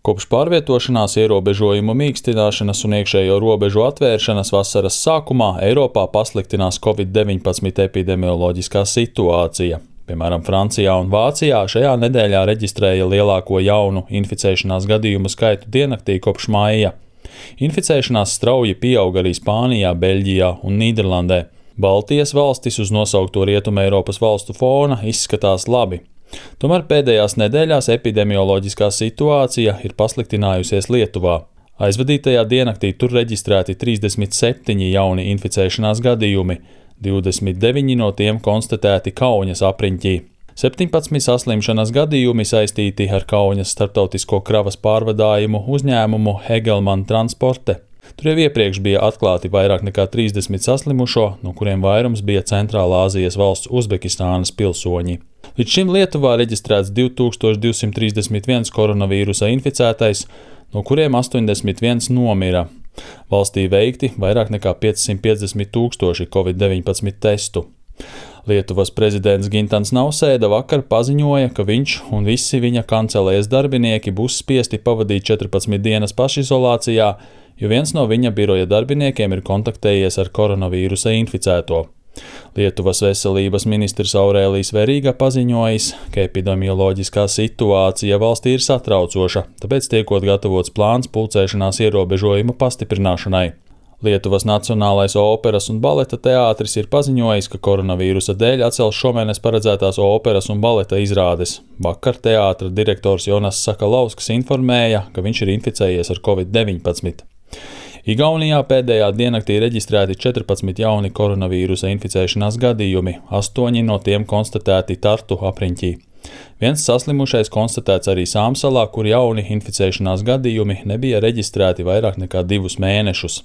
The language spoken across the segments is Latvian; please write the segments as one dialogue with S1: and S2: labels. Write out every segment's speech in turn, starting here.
S1: Kopš pārvietošanās ierobežojumu mīkstināšanas un iekšējo robežu atvēršanas vasaras sākumā Eiropā pasliktinās Covid-19 epidemioloģiskā situācija. Piemēram, Francijā un Vācijā šajā nedēļā reģistrēja lielāko jaunu inficēšanās gadījumu skaitu diennaktī kopš maija. Inficēšanās strauji pieauga arī Spānijā, Beļģijā un Nīderlandē. Baltijas valstis uz nosaukto Rietumē Eiropas valstu fona izskatās labi. Tomēr pēdējās nedēļās epidemioloģiskā situācija ir pasliktinājusies Lietuvā. Aizvadītajā diennaktī tur reģistrēti 37 jauni inficēšanās gadījumi, 29 no tiem konstatēti Kaunas apriņķī. 17 saslimšanas gadījumi saistīti ar Kaunas starptautisko kravas pārvadājumu uzņēmumu Hegelmann Transporte. Tur jau iepriekš bija atklāti vairāk nekā 30 saslimušo, no kuriem vairums bija Centrālā Āzijas valsts Uzbekistānas pilsoņi. Līdz šim Lietuvā reģistrēts 2231 koronavīrusa inficētais, no kuriem 81 nomira. Valstī veikti vairāk nekā 550 tūkstoši Covid-19 testu. Lietuvas prezidents Gintans Nausēda vakar paziņoja, ka viņš un visi viņa kancelējas darbinieki būs spiesti pavadīt 14 dienas pašizolācijā, jo viens no viņa biroja darbiniekiem ir kontaktējies ar koronavīrusa inficēto. Lietuvas veselības ministrs Aurēlijs Verīga paziņojis, ka epidemioloģiskā situācija valstī ir satraucoša, tāpēc tiekot gatavots plāns pulcēšanās ierobežojumu pastiprināšanai. Lietuvas Nacionālais operas un baleta teātris ir paziņojis, ka koronavīrusa dēļ atcels šomēnes paredzētās operas un baleta izrādes. Vakar teātra direktors Jonas Sakalausks informēja, ka viņš ir inficējies ar Covid-19. Igaunijā pēdējā diennaktī reģistrēti 14 jauni koronavīrusa inficēšanās gadījumi, 8 no tiem konstatēti Tartu apriņķī. Viens saslimušais konstatēts arī Sāmsalā, kur jauni inficēšanās gadījumi nebija reģistrēti vairāk nekā 2 mēnešus.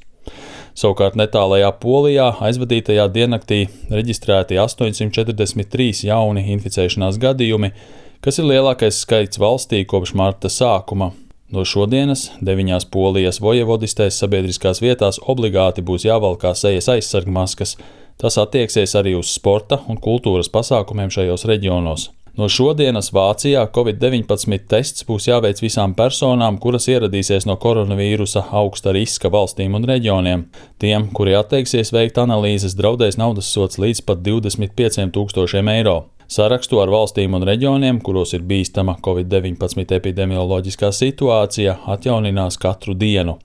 S1: Savukārt netālajā Polijā aizvadītajā diennaktī reģistrēti 843 jauni inficēšanās gadījumi, kas ir lielākais skaits valstī kopš marta sākuma. No šodienas 9 Polijas vojevodistēs sabiedriskās vietās obligāti būs jāvalkā sejas aizsargmaskas. Tas attieksies arī uz sporta un kultūras pasākumiem šajos reģionos. No šodienas Vācijā Covid-19 tests būs jāveic visām personām, kuras ieradīsies no koronavīrusa augsta riska valstīm un reģioniem. Tiem, kuri atteiksies veikt analīzes, draudēs naudas sods līdz pat 25 000 eiro. Sarakstu ar valstīm un reģioniem, kuros ir bīstama Covid-19 epidemioloģiskā situācija, atjauninās katru dienu.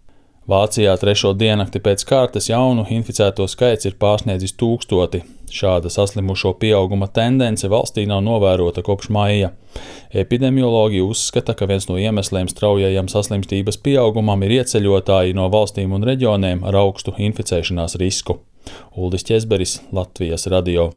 S1: Vācijā 3. diennakti pēc kārtas jaunu inficēto skaits ir pārsniedzis 1000. Šāda saslimušo pieauguma tendence valstī nav novērota kopš maija. Epidemiologi uzskata, ka viens no iemesliem straujajam saslimstības pieaugumam ir ieceļotāji no valstīm un reģioniem ar augstu inficēšanās risku. Uldis Ķezberis, Latvijas radio.